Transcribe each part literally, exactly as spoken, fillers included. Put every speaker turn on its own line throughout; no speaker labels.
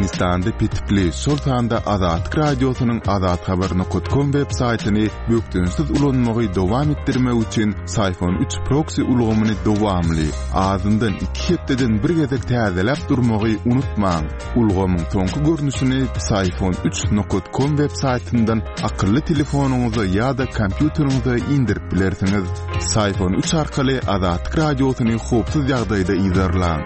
Türkmenistanda petikli, şol sanda Azatlyk Radiosynyň azathabar nokat kom web saýtyny bökdençsiz ulanmagy dowam etdirmek üçin Psiphon üç proksi ulgamyny dowamly, azyndan iki hepdeden bir gezek täzeläp durmagy unutmaň. Ulgamyň soňky görnüşini Psiphon üç nokat kom web saýtyndan akylly telefonyňyza ýa-da kompýuteriňize indirip bilersiňiz. Psiphon üç arkaly Azatlyk Radiosyny howpsuz ýagdaýda yzarlaň.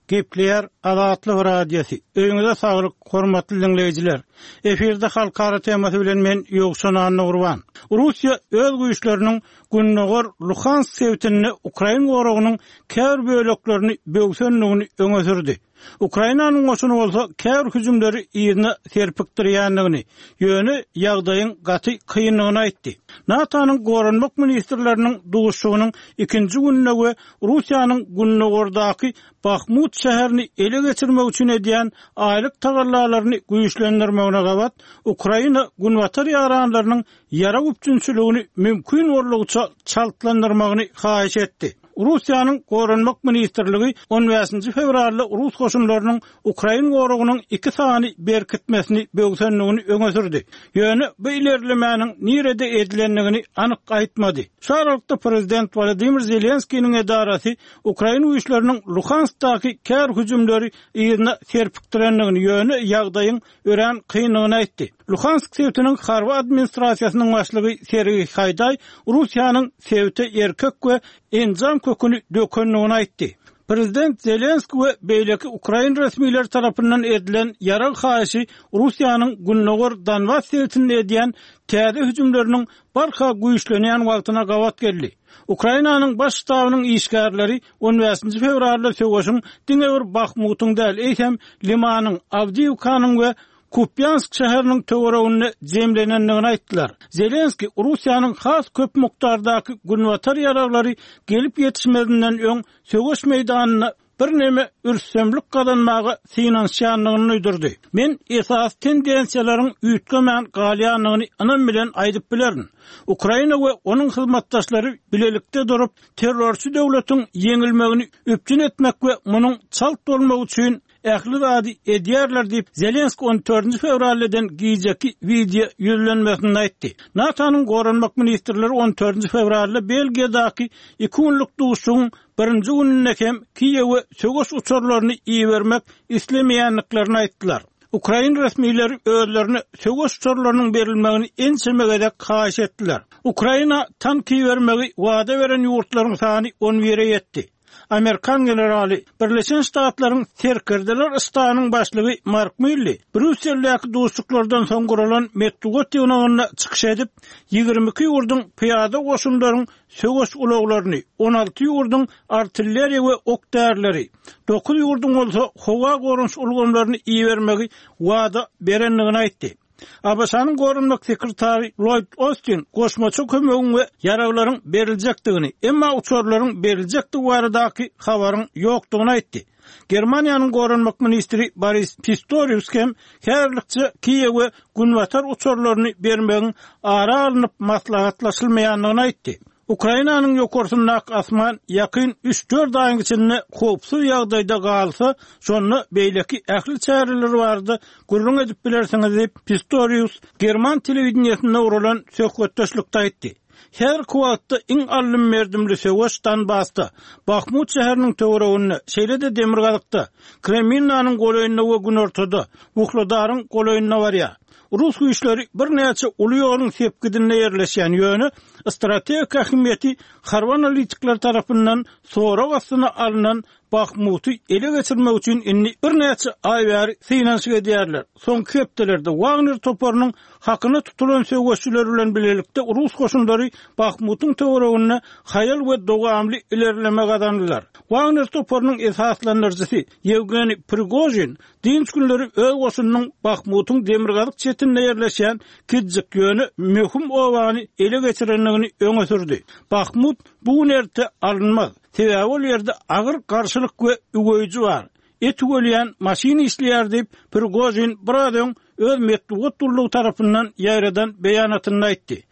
Gepleýär Azatlyk Radiosy. Öýüňize saglyk, hormatly dinleýjiler. Efirde halkara temasy bilen men Ýowşan Annagurban. Russiýa öz güýçleriniň Gündogar Luhansk sebitinde Ukrain goragynyň käbir böleklerini böwsendigini öňe sürdi. Ukrainanyň goşuny bolsa käbir hüjümleri yzyna serpikdirýändigini, ýöne ýagdaýyň gaty kyndygyny aýtdy. NATO-nyň goranmak ministrleriniň duşuşygynyň ikinji gününde we Russiýanyň gündogardaky Bahmut şäherini ele geçirmek üçin edýän aýlyk tagallalaryny güýçlendirmegine gabat, Ukraina günbatar ýaranlarynyň ýarag üpjünçiligini mümkin boldugyça çaltlandyrmagyny haýyş etdi. Russiýanyň Goranmak ministrligi on bäşinji fewralda rus goşunlarynyň ukrain goragynyň iki sany berkitmesini böwsendigini öňe sürdi. Ýöne bu ilerlemäniň nirede edilendigini anyk aýtmady. Şu aralykda prezident Wladimir Zelenskiniň edarasy ukrain güýçleriniň Luhanskdaky kär hüjümleri yzyna serpikdirendigini, ýöne ýagdaýyň örän kyndygyny aýtdy. Luhansk sebitiniň harby administrasiýasynyň başlygy Sergiý Haýdaý Russiýanyň sebite erkek we enjam köküni dökendigini aýtdy. Prezident Zelenski we beýleki ukrain resmileri tarapyndan edilen ýarag haýyşy Russiýanyň Gündogar Donbas sebitinde edýän täze hüjümleriniň barha güýçlenýän wagtyna gabat geldi. Ukrainanyň baş ştabynyň işgärleri on bäşinji fewralda söweşiň diňe bir Bahmutyň däl, eýsem Limanyň, Awdiýewkanyň we Kupýansk şäheriniň töwereginde jemlenendigini aýtdylar. Zelenski Russiýanyň has köp mukdardaky günbatar ýaraglary gelip ýetişmezinden öň söweş meýdanynda birneme ürstemlik gazanmaga synanyşýandygyny duýdurdy. Men esas tendensiýalaryň üýtgemän galýandygyny ynam bilen aýdyp bilerin. Ukraina we onuň hyzmatdaşlary bilelikde durup terrorçy döwletiň ýeňilmegini üpjün etmek we munuň çalt bolmagy üçin ähli zady edýärler diýip Zelenski on dördünji fewralda eden gijeki wideo ýüzlenmesinde aýtdy. NATO-nyň goranmak ministrleri on dördünji fewralda Belgiýadaky iki günlük duşuşygyň birinji gününde hem Kiýewe söweş uçarlaryny ibermek islemeýändiklerini aýtdylar. Ukrain resmileri özlerine söweş uçarlarynyň berilmegini ençeme gezek haýyş etdiler. Ukraina tank ibermegi wada beren ýurtlaryň sany on bire ýetdi. Amerikan generaly Birleşen Ştatlaryň serkerdeler ştabynyň başlygy Mark Milli Brýusseldäki duşuşyklardan soň guralan metbugat ýygnagynda çykyş edip, ýigrimi iki ýurduň pyýada goşunlaryň söweş ulaglaryny, on alty ýurduň artilleriýa we ok därileri, dokuz ýurduň bolsa howa goranyş ulgamlaryny ibermegi wada berendigini aýtdy. ABŞ-nyň goranmak sekretary Lloyd Austin goşmaça kömegiň we ýaraglaryň beriljekdigini, emma uçarlaryň beriljekdigi baradaky habaryň ýokdugyny aýtdy. Germaniýanyň goranmak ministri Boris Pistorius hem häzirlikçe Kiýewe günbatar uçarlaryny bermegiň ara alnyp maslahatlaşylmaýandygyny aýtdy. Ukrainanyň ýokarsyndaky asman ýakyn üç-dört aýyň içinde howpsuz ýagdaýda galsa, şonda beýleki ähli çäreler barada gürrüň edip bilersiňiz diýip Pistorius German telewideniýesinde guralan söhbetdeşlikde aýtdy. Her wagtda iň alym merdimli söweş Donbasda, Bahmut şäheriniň töwereginde, şeýle-de Demirgazykda, Kremlinyň golaýynda we günortada, Wuhledaryň golaýynda barýar. Rus güýçleri birnäçe uly ýoluň sepgidinde ýerleşýän, ýöne strategik ähmiýeti harby analitikler tarapyndan sorag astyna alnan Bahmuty ele geçirmek üçin indi birnäçe aý bäri synanyşyk edýärler. Soňky hepdelerde Wagner toparynyň hakyna tutulan söweşçiler bilen bilelikde rus goşunlary Bahmutyň töwereginde haýal we dowamly ilerleme gazandylar. Wagner toparynyň esaslandyryjysy Ýewgeniý Prigojin dynç günleri öz goşunynyň Bahmutyň demirgazyk çetinde ýerleşýän Kidzik ýöne möhüm obany ele geçirendigini öňe sürdi. Bahmut bu gün erte alynmaz. Sebäbi ol ýerde agyr garşylyk we üweýji bar. Et üwelýän maşyn işleýär diýip Prigojin biraz öň öz metbugat gullugy tarapyndan ýaýradan beýanatynda aýtdy.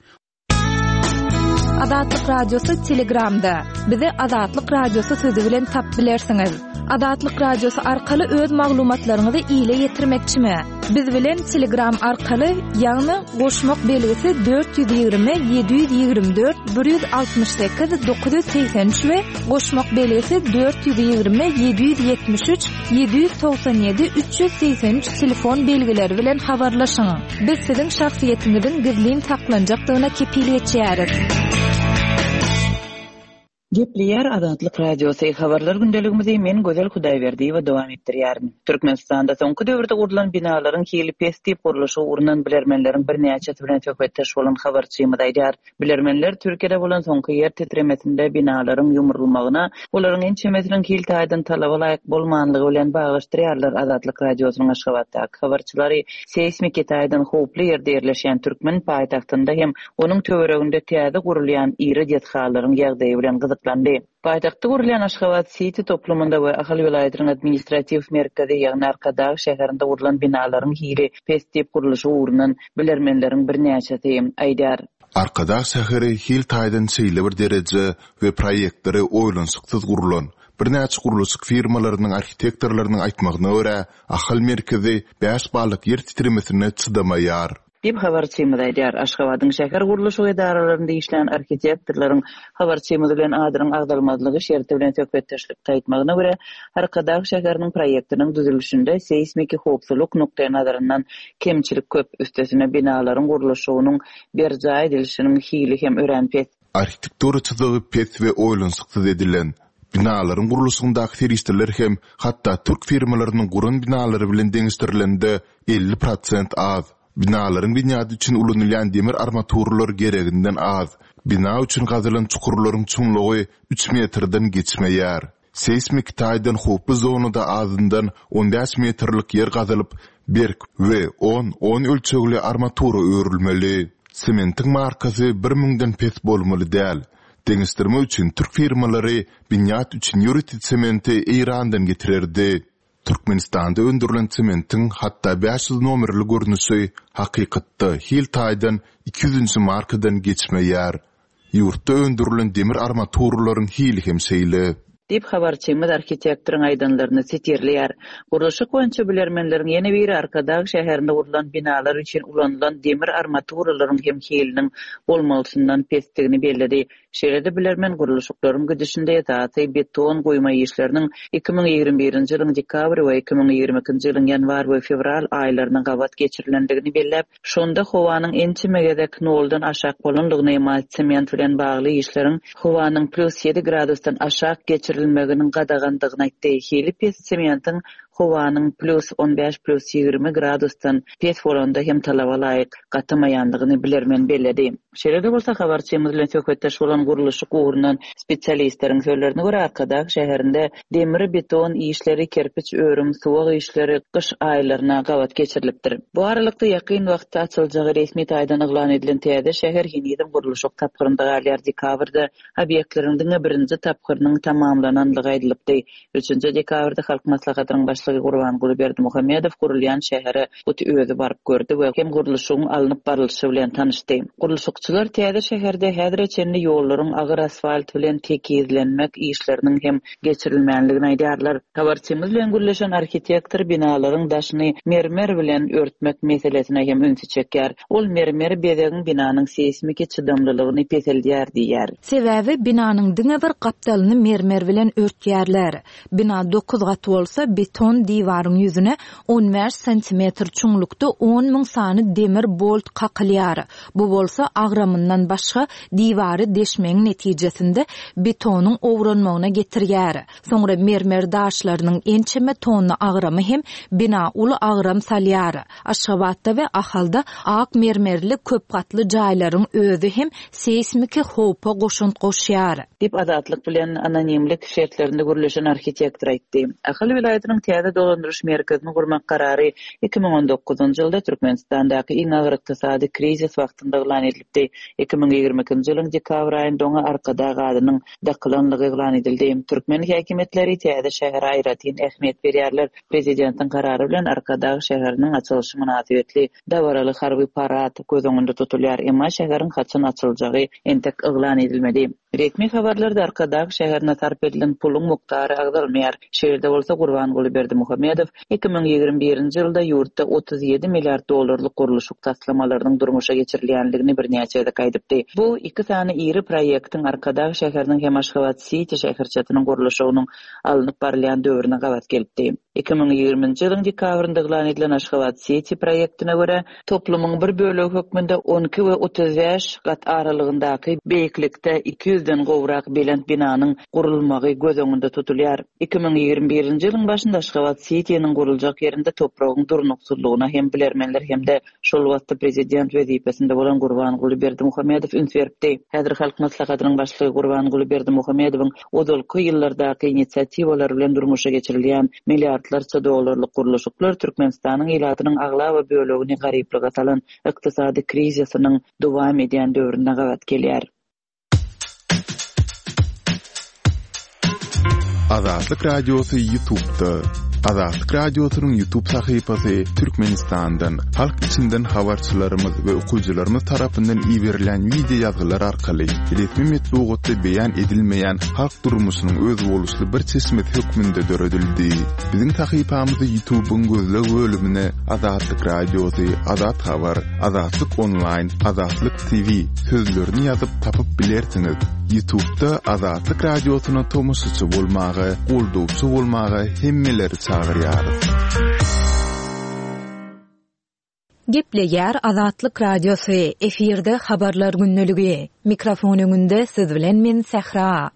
Azatlyk Radiosy Telegramda. Bizi Azatlyk Radiosy sözi bilen tapyp bilersiňiz. Azatlyk Radiosy arkaly öz maglumatlaryňyzy ile ýetirmekçimi? Biz bilen Telegram arkaly, ýagny goşmak belgisi dört ýüz ýigrimi ýedi ýüz ýigrimi dört bir ýüz altmyş sekiz dokuz ýüz segsen üç we goşmak belgisi dört ýüz ýigrimi ýedi ýüz ýetmiş üç ýedi ýüz togsan ýedi üç ýüz segsen üç telefon belgileri bilen habarlaşyň. Biz siziň şahsyýetiňiziň gizlin saklanjakdygyna kepil geçýäris.
Gepleýär Azatlyk Radiosy habarlar gündeligimizi men Gözel Hudaýberdiýewa dowam etdirýärin. Türkmenistanda soňky döwürde gurlan binalaryň hili pes diýip gurluşy ugrundan bilermenleriň birnäçesi bilen söhbetdeş bolan habarçymyz aýdýar. Bilermenler Türkiýede bolan soňky ýer titremesinde binalaryň ýumrulmagyna, olaryň ençemesiniň hil taýdan talaba laýyk bolmanlygy bilen baglaşdyrýarlar. Azatlyk Radiosynyň Aşgabatdaky habarçylary seýsmiki taýdan howply ýerde ýerleşýän türkmen paýtagtynda hem onuň töwereginde täze gurulýan iri desgalaryň ýagdaýy bilen gyzyklandy. Paýtagtda gurulýan Aşgabat City toplumynda we Ahal welaýatynyň administratiw merkezi, ýagny Arkadag şäherinde gurlan binalaryň hili pes diýip gurluşy ugrundan bilermenleriň birnäçesi aýdýar.
Arkadag şäheri hil taýdan şeýle bir dereje we proýektleri oýlanyşyksyz gurlan. Birnäçe gurluşyk firmalarynyň arhitektorlarynyň aýtmagyna görä, Ahal merkezi bäş ballyk ýer titremesine çydamaýar.
Diýip habarçymyz aýdýar. Aşgabadyň şäher gurluşyk edaralarynda işlän arhitektorlaryň habarçymyz bilen adynyň agzalmazlygy şerti bilen söhbetdeşlik aýtmagyna görä, Arkadag şäheriniň proýektiniň düzülişinde seýsmiki howpsuzlyk nukdaý nazaryndan kemçilik köp, üstesine binalaryň gurluşygynyň berjaý edilişiniň hili hem örän pes.
Arhitektura çyzygy pes we oýlanyşyksyz edilen. Binalaryň gurluşygyndaky serişdeler hem hatda türk firmalarynyň guran binalary bilen deňeşdirilende elli prosent az. Binalaryň binýady üçin ulanylýan demir armaturalar gereginden az. Bina üçin gazylan çukurlaryň çuňlugy üç metrden geçmeýär. Seýsmik taýdan howply zonada azyndan on bäş metrlik ýer gazylyp, berk we on on ölçegli armatura örülmeli. Sementiň markasy bir müňden pes bolmaly däl. Deňeşdirme üçin türk firmalary binýat üçin ýörite sementi Eýrandan getirerdi. Türkmenistanda öndürilen sementiň hatda bäş ýüz nomerli görnüşi hakykatda hil taýdan iki ýüzünji markadan geçmeýär. Ýurtda öndürilen demir armaturalaryň hili hem şeýle.
Diýip habarçymyz arhitektoryň aýdanlaryny sitirleýär. Gurluşyk boýunça bilermenleriň ýene biri Arkadag şäherinde gurlan binalar üçin ulanylan demir armaturalaryň hem hiliniň bolmalysyndan pesdigini belledi. Şeýle-de bilermen gurluşyklaryň gidişinde esasy beton goýma işleriniň iki müň ýigrimi birinji ýylyň dekabr we iki müň ýigrimi ikinji ýylyň ýanwar we fewral aýlaryna gabat geçirilendigini belläp, şonda howanyň ençeme gezek noldan aşak bolanlygyny, emma sement bilen bagly işleriň howanyň plus ýedi gradusdan aşak geçirilmeginiň gadagandygyny aýtdy. Hili pes sementiň howanyň plus on bäş plus ýigrimi gradusdan pes bolanda hem talaba laýyk gatamaýandygyny bilermen belledi. Şeýle-de bolsa habarçymyz bilen söhbetdeş bolan gurluşyk ugrundan spesialistleriň sözlerine görä Arkadag şäherinde demir beton işleri, kerpiç örüm, suwag işleri gyş aýlaryna gabat geçirilipdir. Bu aralykda ýakyn wagtda açyljagy resmi taýdan yglan edilen täze şäher henizem gurluşyk tapgyrynda galýar. Dekabrda obýektleriň diňe birinji tapgyrynyň tamamlananlygy aýdylypdy. Üçünji dekabrda Halk Maslahatynyň başlygy Gurbanguly Berdimuhamedow gurulýan şähere hut özi baryp gördi we hem gurluşygyň alnyp barlyşy bilen tanyşdy. Gurluşykçylar täze şäherde häzire çenli ýollaryň agyr asfalt bilen tekizlenmek işleriniň hem geçirilmänligini aýdýarlar. Habarçymyz bilen gürleşen arhitektor binalaryň daşyny mermer bilen örtmek meselesine hem ünsi çekýär. Ol mermer bezegiň binanyň seýsmiki çydamlylygyny peseldýär diýýär.
Sebäbi binanyň diňe bir gapdalyny mermer bilen örtýärler. Bina dokuz gat bolsa beton diwaryň ýüzüne on bäş santimetr çuňlukda on müň sany demir bolt kakylýar. Bu bolsa agramyndan başga diwary deşmegiň netijesinde betonyň owranmagyna getirýär. Soňra mermer daşlarynyň ençeme tonna agramy hem bina uly agram salýar. Aşgabatda we Ahalda ak mermerli köp gatly jaýlaryň özi hem seýsmiki howpa goşant goşýar.
Diýip Azatlyk bilen anonimlik şertlerinde gürleşen arhitektor aýtdy. Ahal welaýatynyň täze täze dolandyryş merkezini gurmak karary iki müň on dokuzynjy ýylda Türkmenistandaky iň agyr ykdysady krizis wagtynda yglan edilipdi. Iki müň ýigrimi ikinji ýylyň dekabr aýynda oňa Arkadag adynyň dakylanlygy yglan edildi. Türkmen häkimiýetleri täze şähere aýratyn ähmiýet berýärler. Prezidentiň karary bilen Arkadag şäheriniň açylyşy mynasybetli dabaraly harby parad göz öňünde tutulýar. Emma şäheriň haçan açyljagy entek yglan edilmedi. Resmi habarlarda Arkadag şäherine sarp edilen puluň mukdary agzalmaýar. Şeýle bolsa Gurbanguly Berdimuhamedow iki müň ýigrimi birinji ýylda ýurtda otuz ýedi milliard dollarlyk gurluşyk taslamalarynyň durmuşa geçirilýänligini birnäçe gezek aýdypdy. Bu iki sany iri proýektiň Arkadag şäheriniň hem Aşgabat City şäherçesiniň gurluşygynyň alnyp barylýan döwrüne gabat gelipdi. Iki müň ýigriminji ýylyň dekabrynda yglan edilen Aşgabat City proýektine görä toplumyň bir bölegi hökmünde on iki we otuz bäş gat aralygyndaky beýiklikde iki ýüzden gowrak belent binanyň gurulmagy göz öňünde tutulýar. Iki müň ýigrimi birinji ýylyň başynda Aşgabat City'niň guruljak ýerinde topragyň durnuksyzlygyna hem bilermenler hem-de şol wagtda prezident wezipesinde bolan Gurbanguly Berdimuhamedow üns beripdi. Häzir Halk Maslahatynyň başlygy Gurbanguly Berdimuhamedowyň ozalky ýyllardaky inisiatiwalar bilen durmuşa geçirilýän milliardlarça dollarlyk gurluşyklar Türkmenistanyň ilatynyň aglaba bölegini garyplyga salan ykdysady krizisiniň dowam edýän döwrüne gabat gelýär.
Azatlyk Radiosy YouTube'da. Azatlyk Radiosynyň YouTube sahypasy Türkmenistandan, halk içinden habarçylarymyz we okyjylarymyz tarapyndan iberilen video ýazgylar arkaly resmi metbugatda beýan edilmeýän halk durmuşynyň özboluşly bir çeşmesi hökmünde döredildi. Biziň sahypamyzy YouTube'yň gözleg bölümine Azatlyk Radiosy, Azat Habar, Azatlyk Online, Azatlyk T V sözlerini ýazyp tapyp bilersiňiz. YouTube'da Azatlyk Radiosyna tomaşaçy bolmaga, goldawçy bolmaga hemmeleri çagyrýarys.
Gepleýär Azatlyk Radiosy, efirde habarlar gündeligi. Mikrofon öňünde siz bilen men Sähra.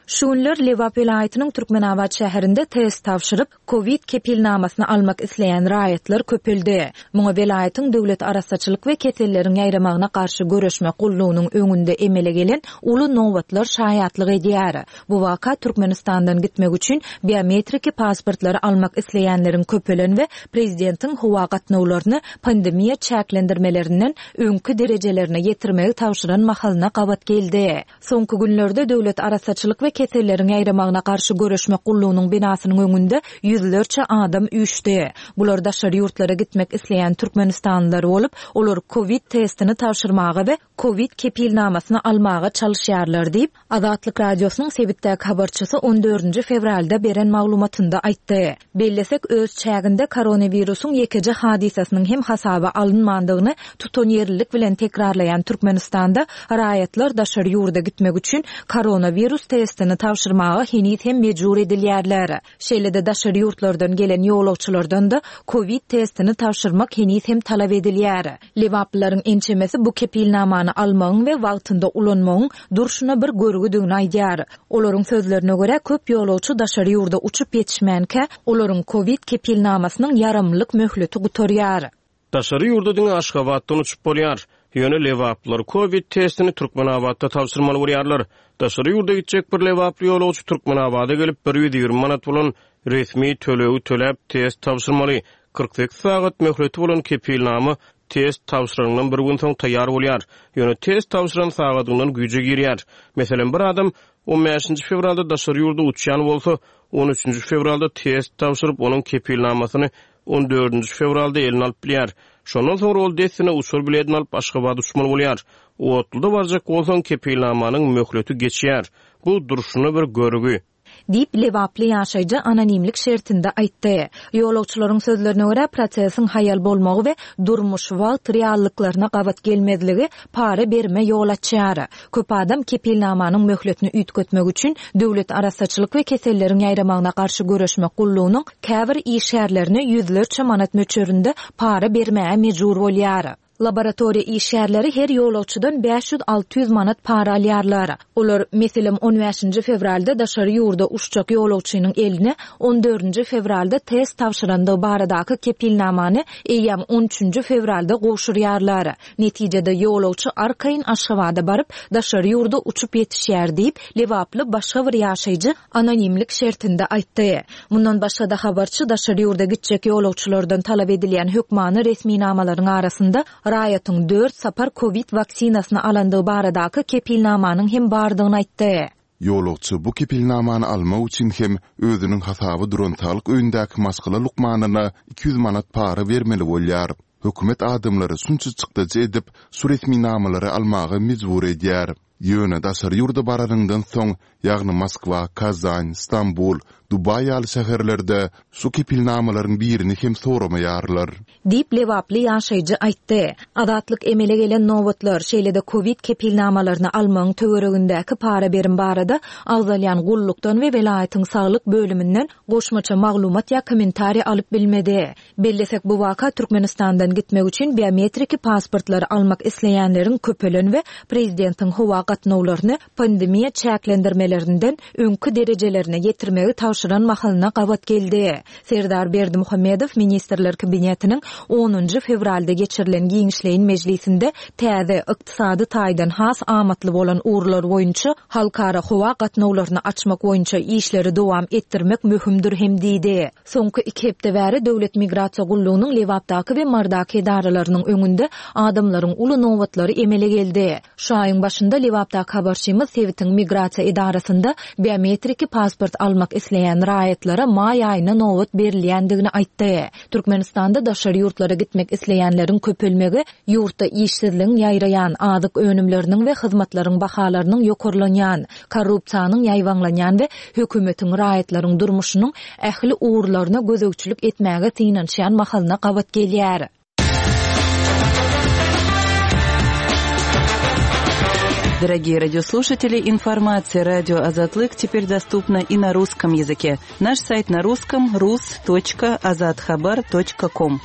Şu günler Lebap welaýatynyň Türkmenabat şäherinde test tabşyryp, Covid kepilnamasyny almak isleýän raýatlar köpeldi. Muňa welaýatyň döwlet arassaçylyk we keselleriň ýaýramagyna garşy görüşmek gullugynyň öňünde emele gelen uly nobatlar şaýatlyk edýär. Bu waka Türkmenistandan gitmek üçin biometriki pasportlary almak isleýänleriň köpelen we prezidentiň howa gatnawlaryny pandemiýa çäklendirmelerinden öňkü derejelerine ýetirmegi tabşyran mahalyna gabat geldi. Soňky günlerde döwlet arassaçylyk we keselleriň ýaýramagyna garşy görüşmek gullugynyň binasynyň öňünde ýüzlerçe adam üýşdi. Bular daşary ýurtlara gitmek isleýän Türkmenistanlylar bolup, olar Covid testini tabşyrmaga we Covid kepilnamasyny almaga çalyşýarlar diýip, Azatlyk Radiosynyň sebitdäki habarçysy on dördünji fewralda beren maglumatynda aýtdy. Bellesek öz çäginde koronawirusyň ýekeje hadysasynyň hem hasaba alynmandygyny tutanýerlilik bilen tekrarlaýan Türkmenistanda raýatlar daşary ýurda gitmek üçin koronawirus testini tabşyrmaga heniz hem mejbur edilýärler. Şeýle-de daşary ýurtlardan gelen ýolagçylardan da Covid testini tabşyrmak heniz hem talap edilýär. Lebaplylaryň ençemesi bu kepilnamany almagyň we wagtynda ulanmagyň durşuna bir görgüdigini aýdýar. Olaryň sözlerine görä köp ýolagçy daşary ýurda uçup ýetişmänkä, olaryň Covid kepilnamasynyň ýaramlyk möhleti gutarýar.
Daşary ýurda diňe Aşgabatdan uçup bolýar. Ýöne Lebaplylar Covid testini Türkmenabatda tabşyrmaly bolýarlar. Daşary ýurda gitjek bir Lebaply ýolagçy Türkmenabada gelip bir ýüz ýigrimi manat bolan resmi tölegi töläp test tabşyrmaly. Kyrk sekiz sagat möhleti bolan kepilnama test tabşyrandan bir gün soň taýýar bolýar. Ýöne test tabşyran sagadyndan güýje girýär. Meselem, bir adam on bäşinji fewralda daşary ýurda uçýan bolsa, on üçünji fewralda test tabşyryp, onuň kepilnamasyny on dördünji fewralda eline alyp bilýär. Şondan soňra ol dessine uçar biletini alyp Aşgabada uçmaly bolýar. Otluda barjak bolsaň kepilnamanyň möhleti geçýär. Bu durşuna bir görgü.
Diýip Lebaply ýaşaýjy anonimlik şertinde aýtdy. Ýolagçylaryň sözlerine görä prosesiň haýal bolmagy we durmuş wagt reallyklaryna gabat gelmezligi para berme ýol açýar. Köp adam kepilnamanyň möhletini üýtgetmek üçin döwlet arassaçylyk we keselleriň ýaýramagyna garşy görüşmek gullugynyň käbir işgärlerine ýüzlerçe manat möçberinde para bermäge mejbur bolýar. Laboratoriýa işgärleri her ýolagçydan bäş ýüz alty ýüz manat para alýarlar. Olar, meselem, on bäşinji fewralda daşary ýurda uçjak ýolagçynyň eline on dördünji fewralda test tabşyrandygy baradaky kepilnamany eýýäm on üçünji fewralda gowşurýarlar. Netijede ýolagçy arkaýyn Aşgabada baryp, daşary ýurda uçup ýetişýär diýip, lebaply başga bir ýaşaýjy anonimlik şertinde aýtdy. Mundan başga-da habarçy daşary ýurda gitjek ýolagçylardan talap edilýän hökmany resminamalaryň arasynda raýatyň dört sapar COVID waksinasyny alandygy baradaky kepilnamanyň hem bardygyny aýtdy.
Ýolagçy bu kepilnamany almak üçin hem özüniň hasaby duran saglyk öýündäki maşgala lukmanyna iki ýüz manat para bermeli bolýar. Hökümet adamlary şunça çykdajy edip, şu resminamalary almaga mejbur edýär. Ýöne daşary ýurda baranyňdan soň, ýagny Moskwa, Kazan, Stambul, Dubaý ýaly şäherlerde şu kepilnamalaryň birini hem soramaýarlar.
Diýip lebaply ýaşaýjy aýtdy. Azatlyk emele gelen nobatlar, şeýle-de COVID kepilnamalaryny almagyň töweregindäki para berim barada agzalýan gullukdan we welaýatyň saglyk bölüminden goşmaça maglumat ýa kommentariý alyp bilmedi. Bellesek bu waka Türkmenistandan gitmek üçin biometriki pasportlary almak isleýänleriň köpelen we prezidentiň howa gatnawlaryny pandemiýa çäklendirmelerinden öňki derejelerine ýetirmegi tabşyran mahalyna gabat geldi. Serdar Berdimuhamedow Ministrler Kabinetiniň onunjy fewralda geçirilen giňişleýin mejlisinde täze ykdysady taýdan has amatly bolan ugurlar boýunça halkara howa gatnawlaryny açmak boýunça işleri dowam etdirmek möhümdir hem diýdi. Soňky iki hepde bäri Döwlet Migrasiýa gullugynyň Lebapdaky we Mardaky edaralarynyň öňünde adamlaryň uly nobatlary emele geldi. Şu aýyň başynda Lebapdaky habarçymyz sebitiň migrasiýa edarasynda biometriki pasport almak isleýän raýatlara maý aýyna nobat berilýändigini aýtdy. Türkmenistanda daşary ýurtlara gitmek isleýänleriň köpelmegi ýurtda işsizligiň ýaýraýan, azyk önümleriniň we hyzmatlaryň bahalarynyň ýokarlanýan, korrupsiýanyň ýaýbaňlanýan we hökümetiň raýatlaryň durmuşynyň ähli ugurlaryna gözegçilik etmäge synanyşýan mahalyna gabat gelýär.
Дорогие радиослушатели, информация радио Азатлык теперь доступна и на русском языке. Наш сайт на русском рус точка азатхабар точка ком.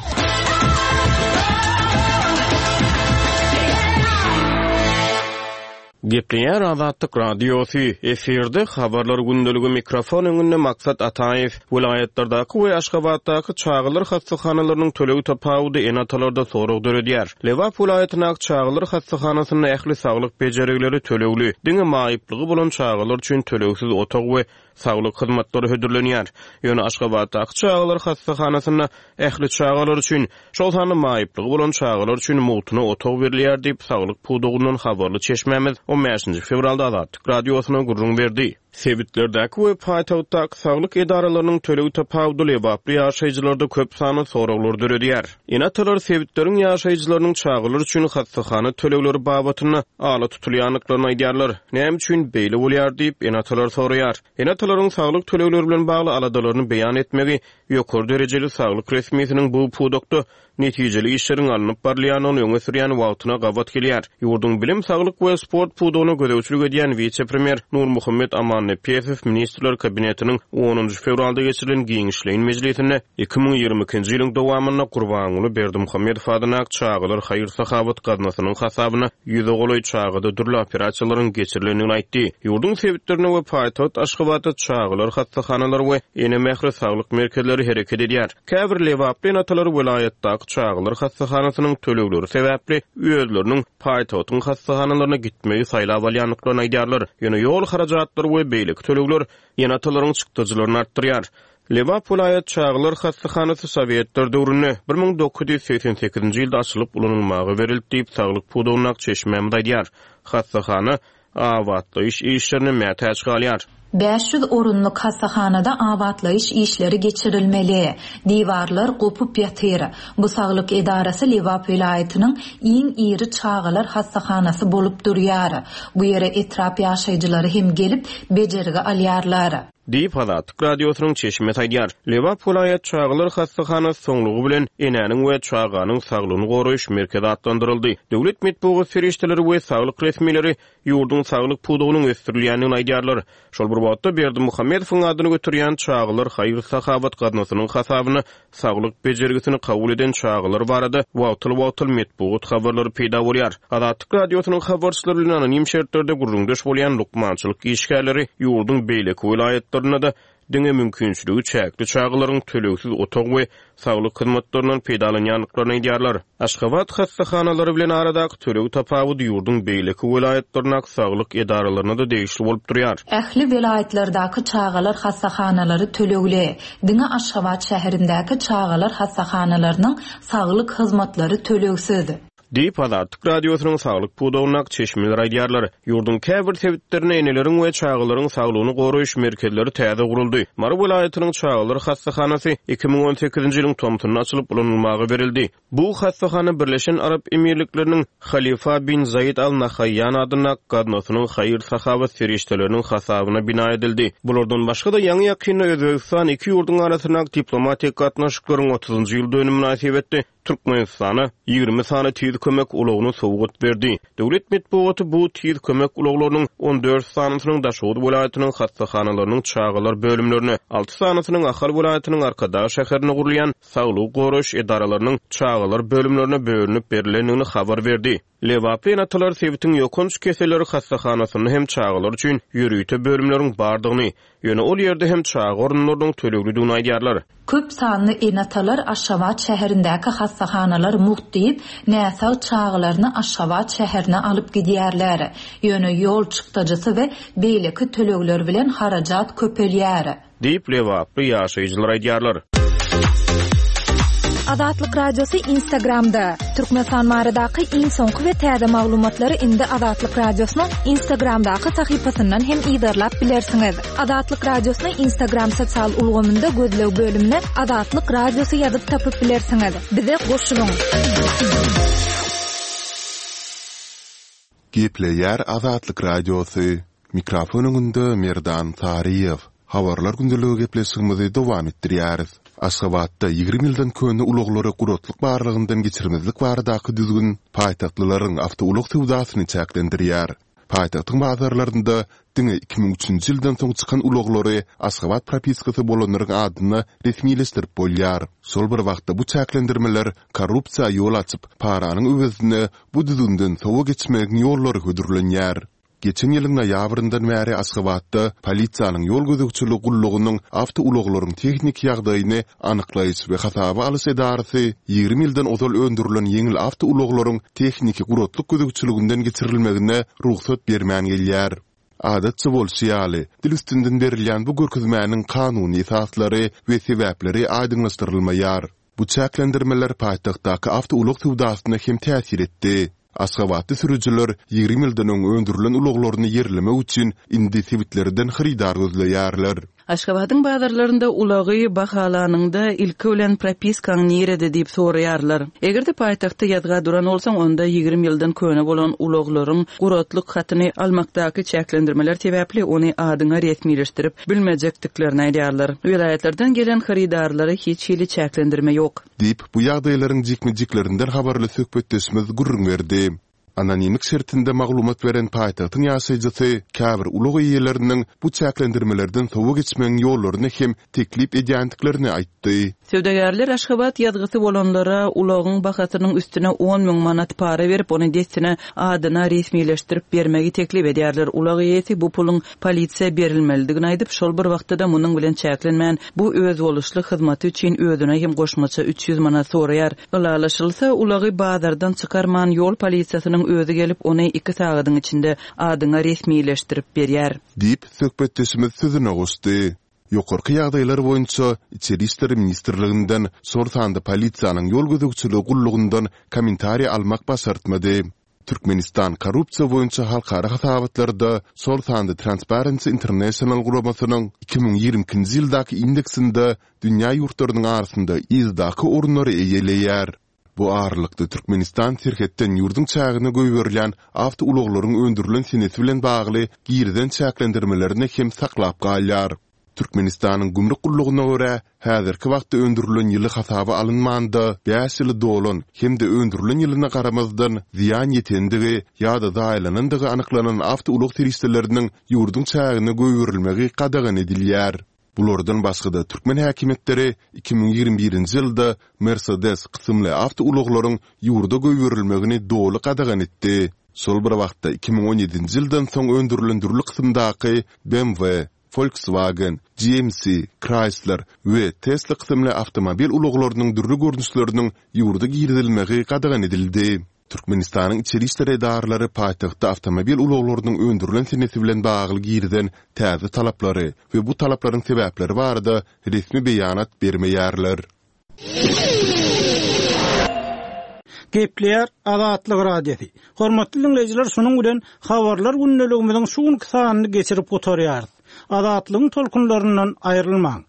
Gepleýär Azatlyk radiosy, efirde habarlar gündeligi mikrofon öňünde Maksat Ataýew, welaýatlardaky we Aşgabatdaky çagalar hassahanalarynyň tölegi tapawudy ene-atalarda sorag döredýär. Lebap welaýatyndaky çagalar hassahanasynda ähli saglyk bejergileri tölegli, diňe maýyplygy bolan çagalar üçin tölegsiz otag we saglyk hyzmatlary hödürlenýär. Ýöne Aşgabatdaky çagalar hassahanasynda ähli çagalar üçin, şol sanda maýyplygy bolan çagalar üçin mugtuna otag berilýär diýip saglyk pudagyndan habarly çeşmämiz on bäşinji fewralda Azatlyk radiosyna gürrüň berdi. Sebitlerdäki we paýtagtdaky saglyk edaralarynyň tölegi tapawudy lebaply ýaşaýjylarda köp sanly soraglar döredýär. Ene-atalar sebitleriň ýaşaýjylarynyň çagalar üçin hassahana tölegleri babatynda ala tutulýandyklaryny aýdýarlar. Näme üçin beýle bolýar diýip ene-atalar soraýar. Ene-atalaryň saglyk tölegleri bilen bagly aladalaryny beýan etmegi ýokary derejeli saglyk resmisiniň bu pudakda netijeli işleriň alnyp barylýanyny öňe sürýän wagtyna gabat gelýär. Ýurduň bilim, saglyk we sport pudagyna gözegçilik edýän wise-premýer Nurmuhammet Amannepesow Ministrler Kabinetiniň onunjy fewralda geçirilen giňişleýin mejlisinde iki müň ýigrimi ikinji ýylyň dowamynda Gurbanguly Berdimuhamedow adyna çagalar haýyr-sahawat gaznasynyň hasabyna ýüze golaý çagada dürli operasiýalaryň geçirilendigini aýtdy. Ýurduň sebitlerinde we paýtagt Aşgabatda çagalar hassahanalary we ene mähri saglyk merkezleri hereket edýär. Käbir lebaply ene-atalar welaýatdaky çagalar hassahanasynyň tölegleri sebäpli özleriniň paýtagtyň hassahanalaryna gitmegi saýlap alýandyklaryny aýdýarlar. Ýöne ýol harajatlary we beýleki tölegler ene-atalaryň çykdajylaryny artdyrýar. Lebap welaýat çagalar hassahanasy Sowetler döwründe bir müň dokuz ýüz segsen sekizinji ýylda açylyp ulanylmaga berildi diýip saglyk pudagyndaky çeşmämiz aýdýar. Hassahana abatlaýyş işlerine mätäç galýar.
Bäş ýüz orunlyk hassahanada abatlaýyş işleri geçirilmeli. Diwarlar gopup ýatyr. Bu saglyk edarasy Lebap welaýatynyň iň iri çagalar hassahanasy bolup durýar. Bu ýere etrap ýaşaýjylary hem gelip bejergi alýarlar.
Diýip, Azatlyk Radiosynyň çeşmesi aýdýar. Lebap welaýat çagalar hassahanasy soňlugy bilen Enäniň we çaganyň saglygyny goraýyş merkezi atlandyryldy. Döwlet metbugat serişdeleri we saglyk resmileri ýurduň saglyk pudagynyň ösdürilýändigini aýdýarlar. Şol bir wagtda, Berdimuhamedowyň adyny göterýän Çagalar haýyr-sahawat gaznasynyň hasabyna saglyk bejergisini kabul eden çagalar barada wagtal-wagtal metbugat habarlary peýda bolýar. Azatlyk Radiosynyň habarçylary bilen anonim şertlerde gürrüňdeş bolýan lukmançylyk işgärleri ýurduň beýleki welaýatlarynda-da diňe mümkinçiligi çäkli çagalaryň tölegsiz otag we saglyk hyzmatlaryndan peýdalanýandyklaryny aýdýarlar. Aşgabat hassahanalary bilen aradaky töleg tapawudy ýurduň beýleki welaýatlaryndaky saglyk edaralaryna-da degişli bolup durýar.
Ähli welaýatlardaky çagalar hassahanalary tölegli. Diňe Aşgabat şäherindäki çagalar hassahanalarynyň saglyk hyzmatlary tölegsiz.
Diýip, Azatlyk Radiosynyň saglyk pudagyndaky çeşmeler aýdýarlar. Ýurduň käbir sebitlerinde eneleriň we çagalaryň saglygyny goraýyş merkezleri täze guruldy. Mary welaýatynyň çagalar hassahanasy iki müň on sekizinji ýylyň tomsunda açylyp ulanylmaga berildi. Bu hassahana Birleşen Arap Emirlikleriniň Halifa bin Zaid Al Nahaýýan adyndaky gaznasynyň haýyr-sahawat serişdeleriniň hasabyna bina edildi. Bulardan başga-da, ýaňy-ýakynda Özbegistan iki ýurduň arasyndaky diplomatik gatnaşyklaryň otuzynjy ýyl dönümi mynasybetli Türkmenistana ýigrimi sany tiz kömek ulagyny sowgat berdi. Döwlet metbugaty bu tiz kömek ulaglarynyň on dört sanysynyň Daşoguz welaýatynyň hassahanalarynyň çagalar bölümlerine, alty sanysynyň Ahal welaýatynyň Arkadag şäherinde gurulýan saglygy goraýyş edaralarynyň çagalar bölümlerine bölünip berilendigini habar berdi. Lebaply ene-atalar sebitiň ýokanç keselleri hassahanasynda hem çagalar üçin ýörite bölümleriň bardygyny, ýöne ol ýerde hem çaga orunlarynyň töleglidigini aýdýarlar.
Köp sanly ene-atalar Aşgabat şäherindäki hassahanalar mugt diýip, näsag çagalaryny Aşgabat şäherine alyp gidýärler. Ýöne ýol çykdajysy we beýleki tölegler bilen harajat köpelýär.
Diýip, lebaply ýaşaýjylar aýdýarlar.
Azatlyk Radiosy Instagramda. Türkmenistan baradaky iň soňky we täze maglumatlary indi Azatlyk Radiosynyň Instagramdaky sahypasyndan hem yzarlap bilersiňiz. Azatlyk Radiosyny Instagram sosial ulgamynda gözleg bölümine Azatlyk Radiosy ýazyp tapyp bilersiňiz. Bize goşulyň.
Gepleýär Azatlyk Radiosy. Mikrofon öňünde Merdan Saryýew. Habarlar gündeligi gepleşigimizi dowam etdirýäris. Aşgabatda ýigrimi ýyldan köne ulaglary guratlyk barlagyndan geçirmezlik baradaky düzgün paýtagtlylaryň awtoulag söwdasyny çäklendirýär. Paýtagtyň bazarlarynda diňe iki müň üçünji ýyldan soň çykan ulaglary Aşgabat propiskasy bolanlaryň adyna resmileşdirip bolýar. Şol bir wagtda bu çäklendirmeler korrupsiýa ýol açyp, paranyň öwezine bu düzgünden sowa geçmegiň ýollary hödürlenýär. Geçen ýylyň noýabryndan bäri Aşgabatda polisiýanyň ýol gözegçiligi gullugynyň awtoulaglaryň tehniki ýagdaýyny anyklaýyş we hasaba alyş edarasy ýigrimi ýyldan ozal öndürilen ýeňil awtoulaglaryň tehniki guratlyk gözegçiliginden geçirilmegine rugsat bermän gelýär. Adatça bolşy ýaly, dil üstünden berilýän bu görkezmäniň kanuny esaslary we sebäpleri aýdyňlaşdyrylmaýar. Bu çäklendirmeler paýtagtdaky awtoulag söwdasyna hem täsir etdi. Aşgabatda sürüjiler ýigrimi ýyldan öň öndürilen ulaglaryny ýerlemek üçin indi sebitlerden hyrydar gözleýärler.
Aşgabadyň bazarlarynda ulagy bahalanyňda ilki bilen propiskaň nirede diýip soraýarlar. Eger-de paýtagtda ýazga duran bolsaň, onda ýigrimi ýyldan köne bolan ulaglaryň guratlyk hatyny almakdaky çäklendirmeler sebäpli ony adyňa resmileşdirip bilmejekdiklerini aýdýarlar. Welaýatlardan gelen hyrydarlara hiç hili çäklendirme ýok.
Diýip, bu ýagdaýlaryň jikme-jiklerinden habarly söhbetdeşimiz gürrüň berdi. Anonimlik şertinde maglumat beren paýtagtyň ýaşaýjysy käbir ulag eýeleriniň bu çäklendirmelerden sowa geçmegiň ýollaryny hem teklip edýändiklerini aýtdy.
Söwdagärler Aşgabat ýazgysy bolanlara ulagyň bahasynyň üstüne on müň manat para berip, ony dessine adyna resmileşdirip bermegi teklip edýärler. Ulag eýesi bu puluň polisiýa berilmelidigini aýdyp, şol bir wagtda-da munuň bilen çäklenmän, bu özboluşly hyzmaty üçin özüne hem goşmaça üç ýüz manat soraýar. Ylalaşylsa, ulagy bazardan çykarman, ýol polisiýasynyň özi gelip, ony iki sagadyň içinde adyňa resmileşdirip berýär.
Diýip, söhbetdeşimiz sözüne goşdy. Ýokarky ýagdaýlar boýunça Içeri işler ministrliginden, şol sanda polisiýanyň ýol gözegçiligi gullugyndan kommentariý almak başartmady. Türkmenistan korrupsiýa boýunça halkara hasabatlarda, şol sanda Transparency International guramasynyň iki müň ýigrimi ikinji ýyldaky indeksinde dünýä ýurtlarynyň arasynda yzdaky orunlary eýeleýär. Bu aralykda Türkmenistan serhetden ýurduň çägine goýberilýän awtoulaglaryň öndürilen senesi bilen bagly girizen çäklendirmelerini hem saklap galýar. Türkmenistanyň Gümrük gullugyna görä, häzirki wagtda öndürilen ýyly hasaba alynmanda bäş ýyly dolan hem-de öndürilen ýylyna garamazdan zyýan ýetendigi ýa-da zaýalanandygy anyklanan awtoulag serişdeleriniň ýurduň çägine goýberilmegi gadagan edilýär. Bulardan başga-da, türkmen häkimiýetleri iki müň ýigrimi birinji ýylda Mercedes kysymly awtoulaglaryň ýurda goýberilmegini doly gadagan etdi. Şol bir wagtda, iki müň on ýedinji ýyldan soň öndürilen dürli kysymdaky BMW, Volkswagen, GMC, Chrysler we Tesla kysymly awtomobil ulaglarynyň dürli görnüşleriniň ýurda girizilmegi gadagan edildi. Türkmenistanyň içeri işler edaralary paýtagtda awtomobil ulaglarynyň öndürilen senesi bilen bagly girizen täze talaplary we bu talaplaryň sebäpleri barada resmi beýanat bermeýärler.
Gepleýär Azatlyk Radiosy. Hormatly diňleýjiler, şunuň bilen habarlar gündeligimiziň şu günki sanyny geçirip gutarýarys. Azatlygyň tolkunlaryndan aýrylmaň.